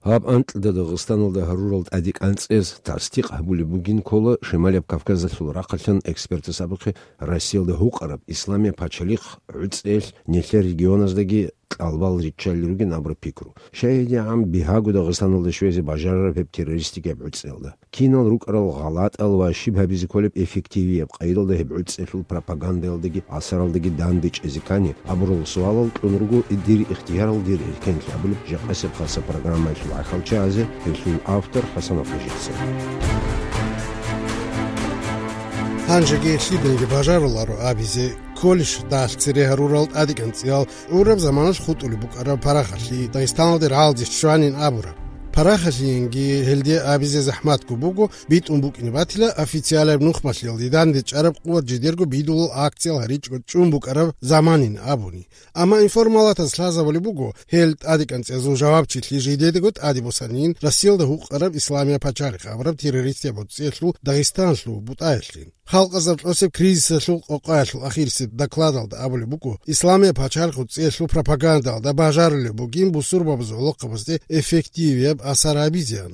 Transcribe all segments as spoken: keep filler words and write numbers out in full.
Гьаб анкьда Дагъистаналда гьарурал тӀадекӀанцӀез тасдикъ гьабулеб бугин ккола Шималияб Кавказалъул рахъалъан экспертас абухъе Россиялда гьукъараб Исламияб пачалихъ гӀуцӀиялъ нилъер регионаздаги кьалбал риччалел ругин абураб пикру. Щай гьедигӀан бигьаго Дагъистаналда щвезе бажарараб гьеб террористикияб гӀуцӀиялда? Кинал рукӀарал гъалатӀал ва щиб гьабизе кколеб эффективияб къайдалда гьеб гӀуцӀиялъул пропагандалдаги асаралдаги дандечӀезе ккани абурал суалал кьун руго дир ихтиярал дир эркенлъи абулеб жакъасеб хасаб программаялъул гӀахьалчагӀазе, гьелъул автор ХӀасан Ахъижица. Гьанжеги лъидаги бажаруларо абизе, кколищ дагьалъ цере гьарурал тӀадекӀанцӀиял гӀураб заманалъ хутӀулеб букӀараб парахалъи Дагъистаналде рагӀалде щванин абураб. Парахалъиянги гьелде абизе захӀматго буго, битӀун букӀине батила официалаб нухмалъиялде дандечӀараб къуват жидерго бидулал акциял гьаричӀого чӀун букӀараб заманин абуни. Амма информалатаз лъазабулеб буго, гьел тӀадекӀанцӀиязул жавабчилъи жидедаго тӀаде босанин Россиялда гьукъараб Исламияб пачалихъ абураб террористияб гӀуцӀиялъул Дагъистанлъул бутӀаялъе. Халкъазаб тӀосеб кризисалъул къокъаялъул ахирисеб докладалда абулеб буго, Исламияб пачалихъ гӀуцӀиялъул пропагандалда бажарулеб бугин бусурбабазул гӀолохъабазде эффективияб асар гьабизеян.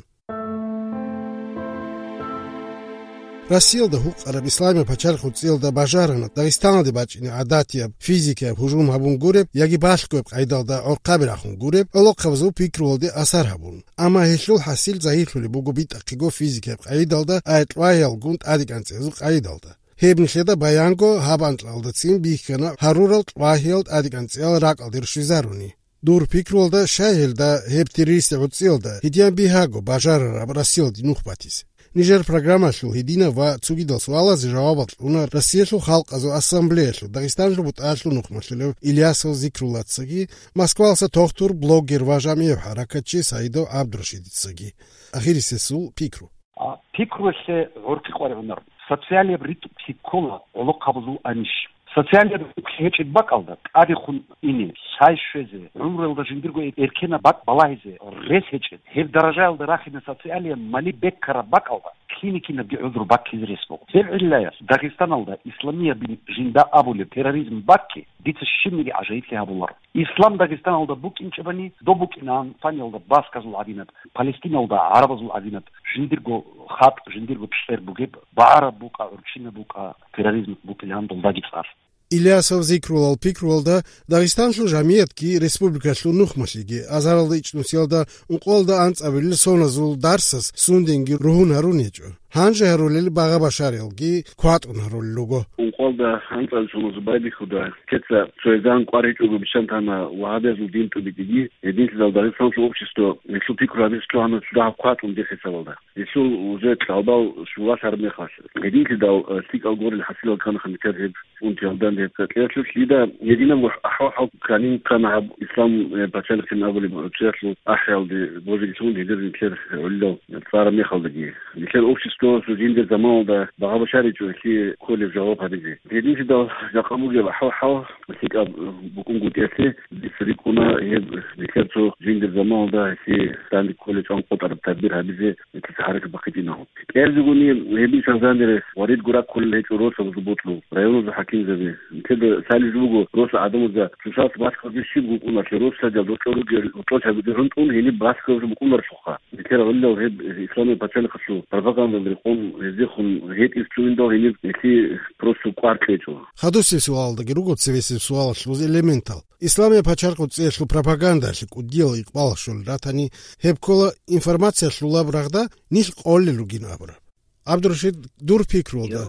Россиялда гьукъараб Исламияб пачалихъ гӀуцӀиялда бажарана Дагъистаналде бачӀине гӀадатияб, физикияб гьужум гьабун гуреб яги балъгояб къайдалда гӀорхъаби рахун гуреб гӀолохъабазул пикрулалде асар гьабун. Амма гьелъул хӀасил загьирлъулеб буго битӀахъего физикияб къайдалда, ай кьвагьиялгун тӀадекӀанцӀиязул къайдалда. Гьеб нилъеда баянго гьаб анкьалдацин бихьана гьарурал кьвагьиял тӀадекӀанцӀиял ракӀалде рщвезаруни. Дур пикрулда, щай гьелда гьеб террористи гӀуцӀиялда гьедиян бигьаго бажарараб Россиялде нух батизе. Нижер программалъул гьединав ва цогидал суалазе жавабал кьуна Россиялъул Халкъазул Ассамблеялъул Дагъистаналъул бутӀаялъул нухмалъулев Ильясов Зикруллацаги, Москваласа тохтур, блогер ва жамигӀ хӀаракатчи Саидов ГӀабдурашидицаги. Ахирисесул пикру. А, пикруялъе гӀоркьи къваригӀунар. Социалияб ритӀухълъи ккола гӀолохъабазул анищ. Социалияб ритӀухълъи гьечӀеб бакӀалда тӀадехун ине, лъай щвезе, гӀумруялда жиндирго эр-, эркенаб бакӀ балагьизе рес гьечӀеб, гьеб даражаялда рахине социалияб мали беккараб бакӀалда кини-кинабги гӀузру баккизе рес буго. Гьеб гӀиллаялъ Дагъистаналда исламиябин жинда абулеб терроризм баккизе дица щибниги гӀажаиблъи гьабуларо. Ислам Дагъистаналда букӀинчӀебани, доб букӀинаан Испаниялда басказул гӀадинаб, Палестиналда гӀарабазул гӀадинаб, жиндирго хатӀ, жиндирго чӀер бугеб, багӀараб букӀа, гӀурччинаб букӀа, терроризм букӀилаан долдаги цӀар. Ильясов Зикрулал пикрулда, Дагъистанлъул жамиятги республикалъул нухмалъиги азаралда ичӀнусиялда ункъоялда анцӀабилел соназул дарсас сунденги ругьун гьарун гьечӀо. Гьанже гьарулел багъа-башариялги кватӀун гьарулел руго. Ункъоялда анцӀабилел соназул байбихьуда, кеца цоязда кӀвар гьечӀого бищан тана вагьабиязул дин тӀубитӀиги, гьединлъидал Дагъистанлъул общество гьелъул пикру гьабизе лъугьана цо дагьаб кватӀун дир хӀисабалда. Гьелъул уже кьалбал щулалъараб мехалъ, гьединлъидал, э, лъикӀал гурел хӀасилал ккана гьаниб гьеб унтиялда гьеб цӀакъиялъулъ. Дида гьединабго ахӀвал-хӀал кканин ккана гьаб Ислам, э, пачалихъин абулеб гӀуцӀиялъул ахӀиялде божиги лъугьун гьедир нилъер гӀолилал цӀараб мехалдаги. Нилъер обществоялъул жиндир заманалда багъа-башаричӀо гьелъие кколеб жаваб гьабизе. Гьединлъидал жакъа бугеб ахӀвал-хӀал лъикӀаб букӀунгутӀиялъе дица рикӀкӀуна гьеб нилъер цо жиндир заманалда гьелъие данде кколеб чӀван къотӀараб тадбир гьабизе нилъеца хӀаракат бахъичӀинагьун. КӀиабилегони гьеб мисалда гьанже варид гураккулел гьечӀо росабазул бокьул районалъул хӀакимзаби. Нилъеда лъалеб жо буго, росла гӀадамазда цоцалъ баскабазе щиб букӀунаро, росла жал рокьор ругел, рокьор чагӀи гӀунтӀун гьениб баскабазе букӀунарелъулха. Нилъер гӀолилал гьеб Исламияб пачалихъалъул пропагандалда рекъон гьездехун гьетӀизе цугӀиндал гьениб нилъее просто кӀвар кьечӀо. Хадусеб суалалдаги руго цевесеб суалалъул элементал. Исламияб пачалихъ гӀуцӀиялъул пропагандалъе кӀудиял икъбал щолел ратани, гьеб ккола информациялъулаб рагъда нилъ къолел ругин абураб. ГӀабдурашид, дур пикрулда,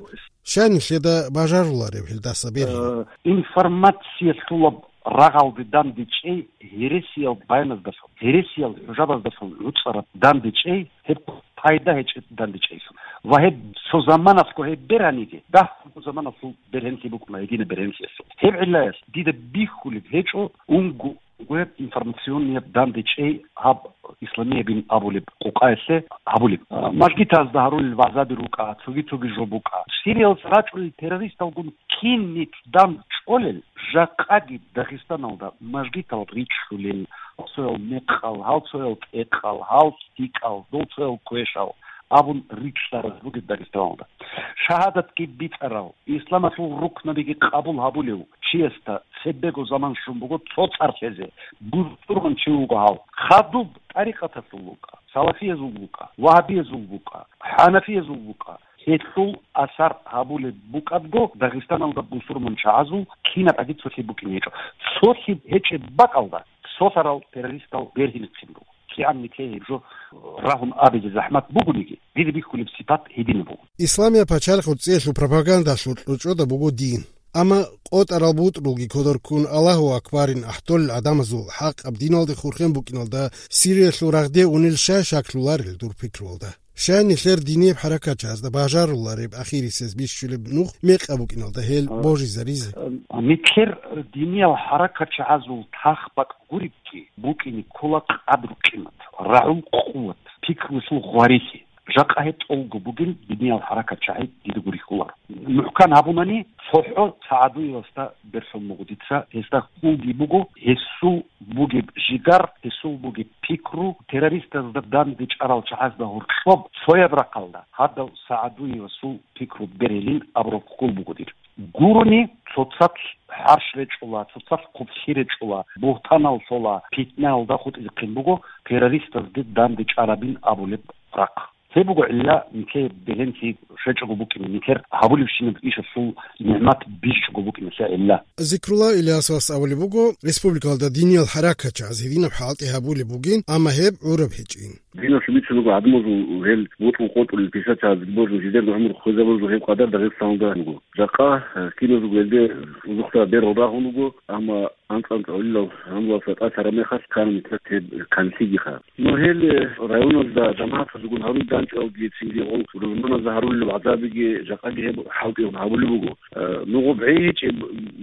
щай нилъеда бажаруларев гьелдаса бергьин? Э, информациялъулаб рагъалде дандечӀей гьересиял баяназдалъун, гьересиял хӀужабаздалъун гӀуцӀараб дандечӀей, гьеб пайда гьечӀеб дандечӀейилъун. Ва гьеб цо заманалъго гьеб бергьаниги, дагьабго заманалъул бергьенлъи букӀуна, гьединаб бергьенлъиялъул. Гьеб гӀиллаялъ дида бихьулеб гьечӀо унго гьеб информационнияб дандечӀей гьаб исламиябин абулеб къокъаялъе гьабулеб. А, мажгитазда гьарулел вагӀзаби рукӀа, цоги-цоги жо букӀа. Сириялас рачӀунел террористалгун кин нилъ дандчӀолел, жакъаги Дагъистаналда мажгитал ричӀлъулел, гьал цоял мекъал, гьал цоял тӀекъал, гьал лъикӀал, дол цоял квешал, абун риччалараз ругеб Дагъистаналда. Шагьадатги бицарав, исламалъул рукнабиги къабул гьабулев чиясда цебего заман щун буго цо цӀар лъезе, бусурман чи вуго гьав. Хадуб тӀарикъаталъул вукӀа, салафиязул вукӀа, вагьабиязул вукӀа, хӀанафиязул вукӀа. Гьелъул асар гьабулеб букӀадго, Дагъистаналда бусурман чагӀазул кинаб гӀаги цолъи букӀине гьечӀо. Цолъи гьечӀеб бакӀалда цолъарал террористал бергьинихъин буго. КигӀан нилъее гьеб жо рагьун абизе захӀмат бугониги, дида бихьулеб сипат гьединаб буго. Исламияб пачалихъ гӀурцӀиялъул пропагандалъул кьучӀода буго дин. Амма къотӀарал бутӀрулги кодор ккун Аллагьу акбарин ахӀдолел гӀадамазул хӀакъаб диналде хурхен букӀиналда Сириялъул рагъде унел щай шаклъуларел дур пикруялда? Щай нилъер динияб хӀаракатчагӀазда бажарулареб ахирисез бищулеб нух мекъаб букӀиналда гьел божизаризе? Нилъер диниял хӀаракатчагӀазул тах-бакӀ гуребги букӀине ккола къадру-къимат, рагӀул къуват, пикрулъул гъварилъи. Жакъа гьеб тӀолго бугел диниял хӀаракатчагӀи дида гурихьуларо. МухӀкан гьабунани, цохӀо ЦагӀадуевасда берлъун буго дица, гьесда хьулги буго, гьесул бугеб жигар, гьесул бугеб пикру, террористазда данде чӀарал чагӀазда гьоркьоб цояб рахъалда гьадав СагӀадуевасул пикру бергьилин абураб хьул буго дир. Гурони цоцалъ хӀарщ речӀула, цоцалъ хъублъи речӀула, бугьтанал лъола, питнаялда хутӀизехъин буго террористазде данде чӀарабин абулеб рахъ. Гьеб буго гӀилла, нилъее бегьенлъи щвечӀого букӀине, нилъер гьабулебщинаб ишалъул нигӀмат бичӀчӀого букӀиналъе гӀилла. Зикрулла Ильясовас абулеб буго, республикалда диниял хӀаракатчагӀаз гьединаб хӀалтӀи гьабулеб бугин, амма гьеб гӀураб гьечӀин. Диналъул бицун буго гӀадамазул гьел бутӀрул-къотӀрулел писатаз божун, жидерго гӀумру хвезабазул гьеб къадар Дагъистаналда буго. Жакъа, э, киназулго гьелде узухъа берал рагьун руго, амма анцӀ-анцӀ гӀолилал гьанлалса тӀад тараб мехалъ ккана нилъер гьеб канлъигиха. Ну, гьел, э, районалда жамагӀатазулгун гьарун данчӀвалги, цинги гъол рузманазда гьарулел гӀазабиги жакъаги гьеб хӀалтӀи гьабулеб буго. Э, ну, гъоб гӀей гьечӀеб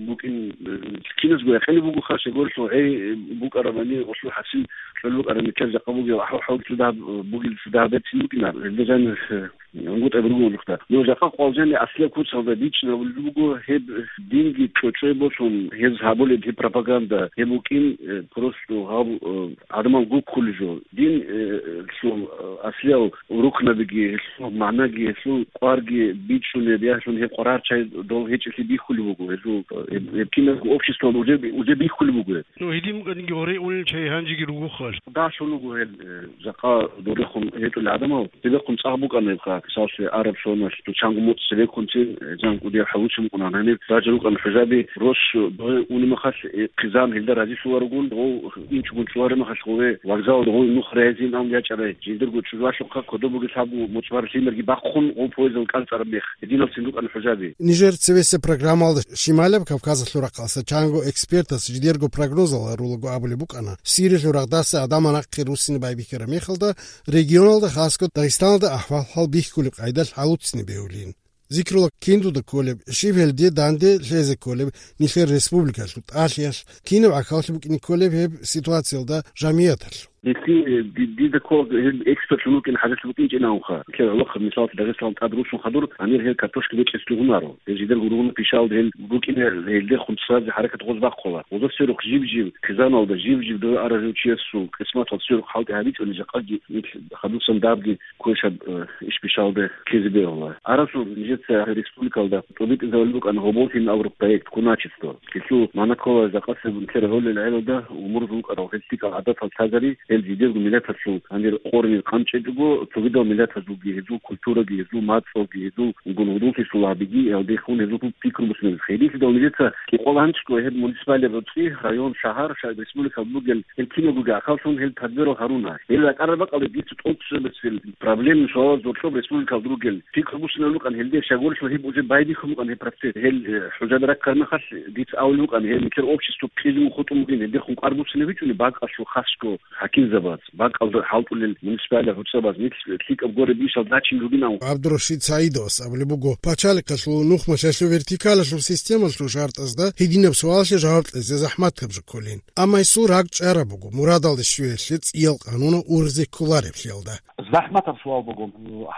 букӀин, э, киназго якъинаб бугоха, щегорилъул гӀей букӀарабани, гъолъул хӀасил кьолеб букӀараб нилъер жакъа бугеб ахӀвал-хӀалчӀуда бугел цо дагьаб берцин букӀина. Гьелда жанир, э, ГӀунгутӀаби руго гьелъухъа. Ну, жакъа къвалжани аслияб куцалда бичӀчӀинабулеб буго, гьеб динги чӀочӀой босун, гьез гьабулеб гьеб пропаганда, гьеб букӀин, э, просто гьаб, э, гӀадамал гуккулеб жо. Дин, э, лъул, э, аслиял рукнабиги, гьелъул магӀнаги, гьелъул кӀварги бичӀчӀунеб, яхӀлъун гьеб къваригӀарчагӀи дол гьечӀелъи бихьулеб буго, гьезул, э, гьеб киназго обществоялда уже, уже бихьулеб буго гьеб. Ну, гьедин букӀаниги гьорей унел чагӀи гьанжеги ругохъал. Дагьлъун руго гьел, э, жакъа дорихъун гьечӀолел гӀадамал. Цебехъун цӀакъ букӀана гьебха, мисаллъе, араб соналъ, цо чанго моцӀ цебеккунцин, э, жан кӀудиял хӀалуцин букӀуна, гьаниб ражал рукӀана хӀужаби, рос догъи уни махалъ, э, хъизан гьелда разилъуларогун, дов инчӀогун чӀвари махалъ гъове, вокзалалда гъов нух регӀизин ан ячӀарай, жиндирго чӀужуалъухъа кодоб бугес гьабу моцӀ бар лъимерги бахъун, гъов поездал кӀанцӀараб мех, гьединалцин рукӀана хӀужаби. Нижер цевесеб программалда Шималаб Кавказалъул рахъалъа чанго экспертас жидерго прогнозал гьарулаго абулеб букӀана, Сириялъул рагъдаса гӀадамал нахъе руссине байбихьараб мехалда, регионалда, хасго Дагъистаналда ахӀвал-хӀал бихьулеб къайдалъ гьалуццин бегьулин. Зикрулла киндуда кколеб, щиб гьелде данде лъезе кколеб нилъер республикалъул тӀалъиялъ, кинаб гӀахьаллъи букӀине кколеб гьеб ситуациялда жамигӀаталъ? Гьелъие ди-, дида ккола гьел экспертлъун вукӀин хӀажалъи букӀинчӀин абунха. Нилъер гӀолохъаб мисаллъи Дагъистан тӀад руссун хадур, гьанир гьел картошка бечӀес лугьунаро. Гьел жидерго ругьунал пишалда гьел букӀине, гьелдехун цӀазе хӀаракат гъоз бахъула. Гъоза сверухъ жиб-жиб, хъизаналда жиб-жиб дов арав чиясул къисматал сверухъ хӀалтӀи гьабичӀони жакъаги нилъ хадусан дабги квешаб, э, иш бишалда ккезе бегьула. Арасул нижеца республикалда тӀубитӀизабулеб букӀана гьоболлъин абураб проект «Куначество». Гьелъул магӀна ккола жакъасеб нилъер гьолел гӀелалда умурзул вукӀарал гьел лъикӀал гӀадатал лъазари, гьел жидерго миллаталъул гьанир къорни къанчӀечӀого, цогидал миллатазулги гьезул культураги, гьезул мацӀалги, гьезул гунгьудуллъи сулагьабиги, гьелдехун гьезул пикру бусинабизе. Гьединлъидал нижеца кӀикъоялда гьанчӀго гьеб муниципалияб гӀурцӀи, район, шагьар, ша-, республикалда бугел гьел киналгоги ахӀваллъун гьел тадбирал гьаруна. Гьел ракӀараб бакӀалда дица тӀоцебесел проблемный суалал зорлъоб республикалда ругел пикру бусинаб букӀан гьелде, щайгурелъул гьеб уже байбихьун букӀан гьеб процесс. Гьел, э, хӀужаби раккараб мехалъ дица абулеб букӀан, гьел нилъер общество кьижун хутӀун бугин, гьелдехун кӀвар буцинабичӀони бакӀалъул хасго хӀакимзабаз, бакӀалда хӀалтӀулел муниципалияб гӀурцабаз, нилъ лъикӀаб гуреб ишал зачин ругин абун. ГӀабдурашид СагӀидовас абулеб буго, пачалихъалъул нухмалъалъул вертикалалъул системалъул шартӀазда гьединаб суалалъе жаваб кьезе захӀматаб жо кколин. Амма гьесул ракӀ чӀараб буго, мурадалде щвеялъе цӀиял къануна ургъзе кколареблъиялда. ЗахӀматаб суал буго.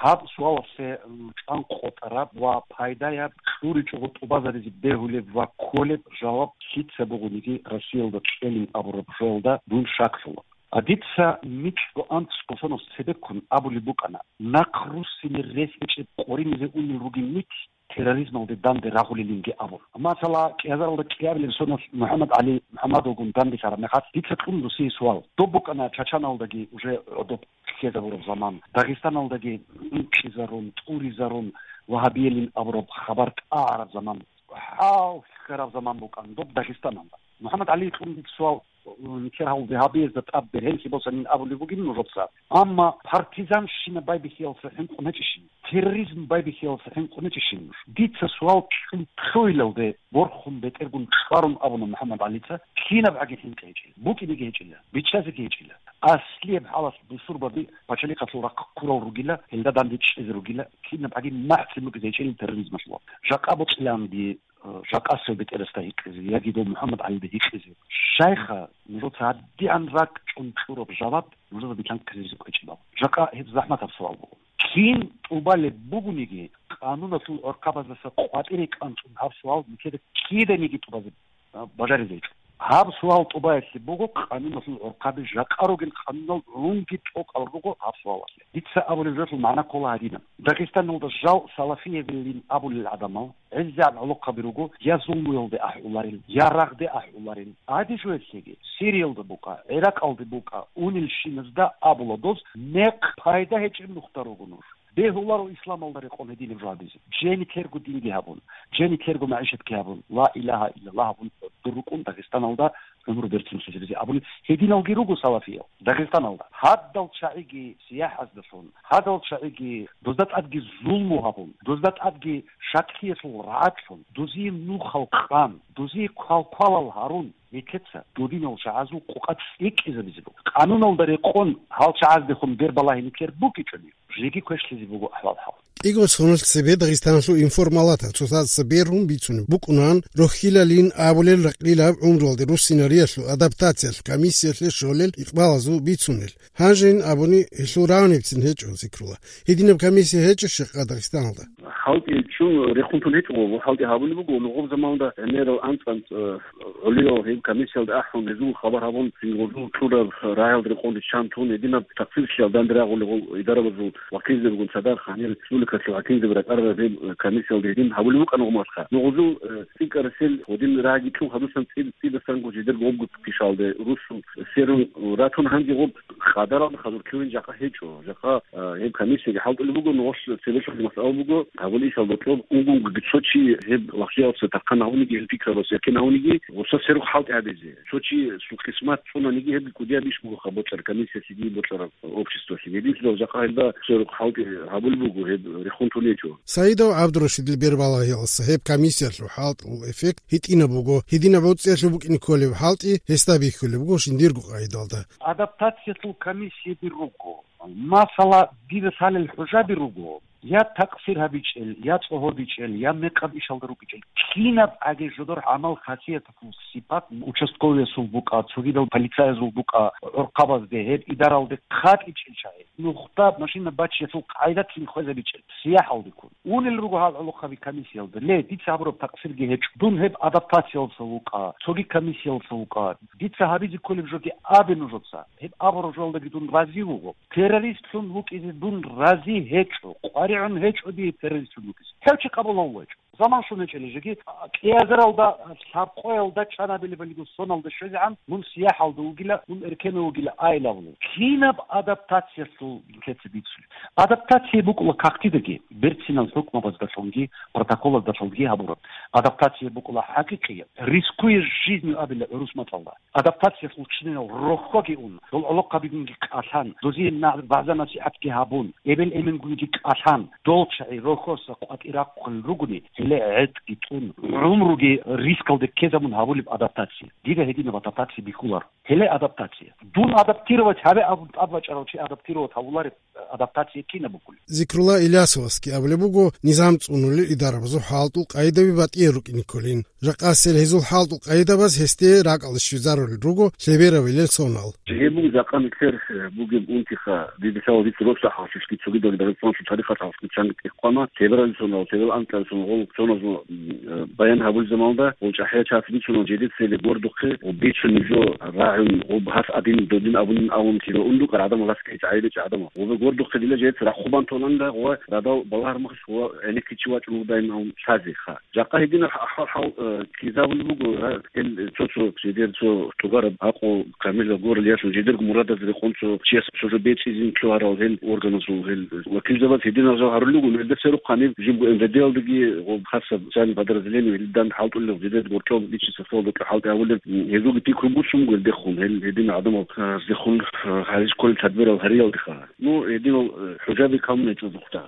Гьаб суалалъе, м, чӀван къотӀараб ва пайдаяб, кьуричӀого тӀубазаризе бегьулеб ва кколеб жаваб лъица бугониги Россиялда кьелин абураб жоялда дун шаклъула. А дица микьго анцӀго соназ цебеккун абулеб букӀана, нахъ руссине рес гьечӀеб къоринизе унел ругин нилъ терроризмалде данде рагъулелинги абун. Масала, кӀиазаралда кӀиабилеб соназ МухӀаммад ГӀали МухӀаммадовгун данделъараб мехалъ, дица кьун досие суал. Доб букӀана Чачаналдаги уже гӀодоб ккезабураб заман, Дагъистаналдаги инкъизарун, тӀуризарун, вагьабиялин абураб хабар тӀагӀараб заман, хӀалхьараб заман букӀана доб Дагъистаналда. МухӀаммад ГӀали кьун суал, нилъер гьав вагьабиязда тӀад бергьенлъи босанин абулеб бугин нужеца. Амма партизанщина байбихьиялдаса хӀинкъун гьечӀищин, терроризм байбихьиялдаса хӀинкъун гьечӀищин нуж? Дица суал кьун лъугьиналде борхун бетӀергун чӀварун абуна МухӀаммад ГӀалица, кинаб гӀаги хӀинкъи гьечӀила, букӀинеги гьечӀила, биччазеги гьечӀила. Аслияб хӀалалъ бусурбаби пачалихъалъул рахъ ккурал ругила, гьелда данде чӀезе ругила, кинаб гӀаги махӀцӀи букӀизе гьечӀила терроризмалъулаб. Жакъа бокьиланги, э, жакъасев бетӀерасда гьикъизе, яги дов МухӀаммад ГӀалида гьикъизе. Щайха, нужеца гьадигӀан ракӀчӀун чӀураб жаваб нужеда билан ккезабизе кӀвечӀебал? Жакъа гьеб захӀматаб суал буго. Кин тӀубалеб бугониги, къануналъул гӀорхъабаздаса къватӀире кӀанцӀун гьаб суал нилъеда киданиги тӀубазе, а, бажаризе гьечӀо. Гьаб суал тӀубаялъе буго, къануналъул гӀорхъаби жакъа ругел къанунал гӀунги тӀокӀал руго гьаб суалалъе. Дица абулеб жоялъул магӀна ккола гьадинаб. Дагъистаналда жал салафиявилин абулел гӀадамал гӀезегӀан гӀолохъаби руго, я зулмуялде ахӀуларел, я рагъде ахӀуларел. Гьади жоялъеги, Сириялда букӀа, ГӀиракъалде букӀа, унелщиназда абула доз, мекъ пайда гьечӀеб нухда руго нуж. Бегьуларо исламалда рекъон гьединаб жо гьабизе. Жени терго динги гьабун, жени терго магӀишатги гьабун, ла илагьа иллаллагь гьабун, дур рукӀун Дагъистаналда гӀумру берцинлъизабизе абуни, гьединалги руго салафиял Дагъистаналда. Гьадал чагӀиги сияхӀаздалъун, гьадал чагӀиги дозда тӀадги зулму гьабун, дозда тӀадги шаклъиялъул рагӀаблъун, дозие нухал къан, дозие квалквалал гьарун, нилъеца додинал чагӀазул къукъа цӀикӀкӀизабизе буго. Къануналда рекъон гьал чагӀаздехун бербалагьи нилъер букӀичӀони, жеги квешлъизе буго ахӀвал-хӀал. КӀиго соналъ цебе Дагъистаналъул информалатал цоцазда берун бицунеб букӀунан, рохьилалин абулел ракьилаб гӀумруялде руссинариялъул адаптациялъ комиссиялъе щолел икъбалазул бицунел. Гьанжейин абуни, гьелъул рагӀунебцин гьечӀо, Зикрула. Гьединаб комиссия гьечӀищ жакъа Дагъистаналда? ХӀалтӀи чун рехун тун гьечӀо, хӀалтӀи гьабулеб буго, нугъаб заманда гӀемерал анцӀ-анцӀ, э, гӀолиял гьеб комиссиялда ахӀун, гьезул хабар гьабун, гьезул чураб рагӀиялда рекъон риччан тун, гьединаб такъсирлъиялда данде рагъулел гьел идарабазул вакилзабигун цадахъ гьанир республикалъул хӀакимзаби ракӀарараб гьеб, э, комиссиялда гьедин гьабулеб букӀана гьумалха. Нугъузул, э, цӀикӀкӀарасел гьедин рагӀи кьун хадусан цӀи-, цӀидасан гужидер гъобгу пишалде русу серун ратун гьанги гъоб къадаралда хадур ккевин жакъа гьечӀо. Жакъа, э, гьеб комиссияги хӀалтӀулеб буго, нугъулъ цебелъул масъала буго, гьабулищал бокьоб, унгунги цо чи гьеб вахъиялъе тархъан гьавуниги, гьел пикрабас якин гьавуниги, гъуса серухъ хӀалтӀи гьабизе. Цо чи сукъисмат цӀунаниги гьебги кӀудияб иш буго ха бокьараб комиссиялъеги бокьараб обществалъеги. Гьединлъидал жакъа гьелда цо рукъ хӀалтӀи гьабулеб буго, гьеб рехун тун гьечӀо. Саидов ГӀабдурашидил бербалагьиялдаса гьеб комиссиялъул хӀалтӀул эффект гьитӀинаб буго, гьединаб гӀуцӀиялъул букӀине кколеб хӀалтӀи гьесда бихьулеб буго жиндирго къайдалда. Адаптациялъул комиссияби руго. Масала, дида лъалел хӀужаби руго. Я такъсир гьабичӀел, я цӀогьорбичӀел, я мекъаб ишалда рукӀичӀел, кинаб гӀаги жодор гӀамал-хасияталъул сипат участковыясул букӀа, цогидал полицаязул букӀа, гӀорхъабазде, гьеб идаралде хъатӀичӀел чагӀи, нухда машина бачиялъул къайдалъин хвезабичӀел, сияхӀалдеккун. Унел руго гьал гӀолохъаби комиссиялда, ле, дица гьабураб такъсирги гьечӀо, дун гьеб адаптациялдаса вукӀа, цоги комиссиялдаса вукӀа, дица гьабизе кколеб жоги абе нужеца, гьеб абураб жоялдаги дун рази вуго. Террористлъун вукӀизе дун рази гьечӀо, къваригӀун гьечӀо дие террористлъун вукӀизе. Гьев чи къабулав вачӀо. Заман щун гьечӀели жеги, кӀиазаралда, лъабкъоялда, чанабилебалиго соналда щвезегӀан, мун сияхӀалда вугила, мун эркенав вугила айилавлу. Кинаб адаптациялъул нилъеца бицулеб? Адаптация букӀула кагътидаги, берцинал хӀукмабаздалъунги, протоколаздалъунги гьабураб. Адаптация букӀула хӀакъикъияб, рискуя жизнью абила гӀурус мацӀалда. Адаптациялъул чинал рохьоги ун, дол гӀолохъабигунги кӀалъан, дозие на-, вагӀза-насихӀатги гьабун, эбел-эменгунги кӀалъан, дол чагӀи рохьоса къватӀирахъулел ругони, гьеле гӀетӀги тӀун, гӀумруги рискалде ккезабун гьабулеб адаптация. Дида гьединаб адаптация бихьуларо. Гьеле адаптация. Дун адаптировать гьабе абун тӀад бачӀарав чи адаптировать гьавулареб адаптация кинаб букӀулеб? Зикрула Илясовасги абулеб буго, низам цӀунулел идарабазул хӀалтӀул къайдаби батӀиял рукӀине кколин. Жакъасел гьезул хӀалтӀул къайдабаз гьесде ракӀалде щвезарулел руго лъеберавилел сонал. Гьеб буго жакъа нилъер, э, бугеб унтиха, дидилъал дица росахъалъулъги цогидал Дагъистаналъул тарихалъ гьалъулъги чанги тӀехъвана, лъеберавилел сонал, лъеберал анкьабилел сонал гъол цоназул, м, э, баян гьабулел заманалда, гъол чӀахӀиял чияс бицуна, жидеца гьеле гордухъе, гъоб бицун жо рагӀун, гъоб гьас адин додин абунин абун кида ундукъар гӀадамал, гьас ккечӀ гӀайиб гьечӀо гӀадамал. Гъобе гордухъе дила жидеца рахъубан толанила, гъова радал балагьармахъ, гъова гӀенеккичи вачӀун вугодай абун лъазе, ха. Жакъа гьединаб ахӀвал-хӀал, э, ккезабулеб буго, гьа, гьел цо-цо жидер цо тӀубараб гӀакъу камилаб гурелъул, жидерго мурадаз рекъон цо чияс цо жо бецӀизин лъугьарал гьел органазул гьел вакилзабаз гьединал жал гьарулел руго, гьелда церухъ гьаниб жибго МВД-ялдаги ва хасаб социальный подразделение гьелдан хӀалтӀулел жидер горкьоб личный составалда хӀалтӀи гьабулел, гьезулги пикру буссун буго гьелдехун, гьел гьедин гӀадамал, а, гьездехун, а, гьарис кколел тадбирал гьариялдеха. Ну, гьединал, э, хӀужаби камун гьечӀо зухъда.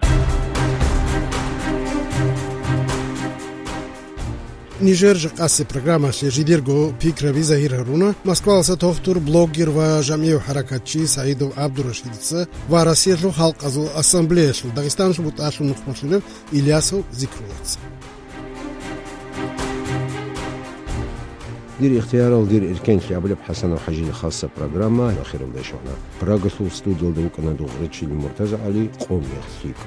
Нижер жакъасеб программалъе жидерго пикраби загьир гьаруна Москваласа тохтур, блогер ва жамигӀ хӀаракатчи СагӀидов ГӀабдурашидица ва Россиялъул Халкъазул Ассамблеялъул Дагъистаналъул бутӀалъул нухмалъулев Ильясов Зикруллаца. «Дир ихтиярал, дир эркенлъи» абулеб ХӀасанов ХӀажида хасаб программа ахиралде щвана. Прагалъул студиялда вукӀана дугърачил МуртазагӀали, къом мех лъикӀ.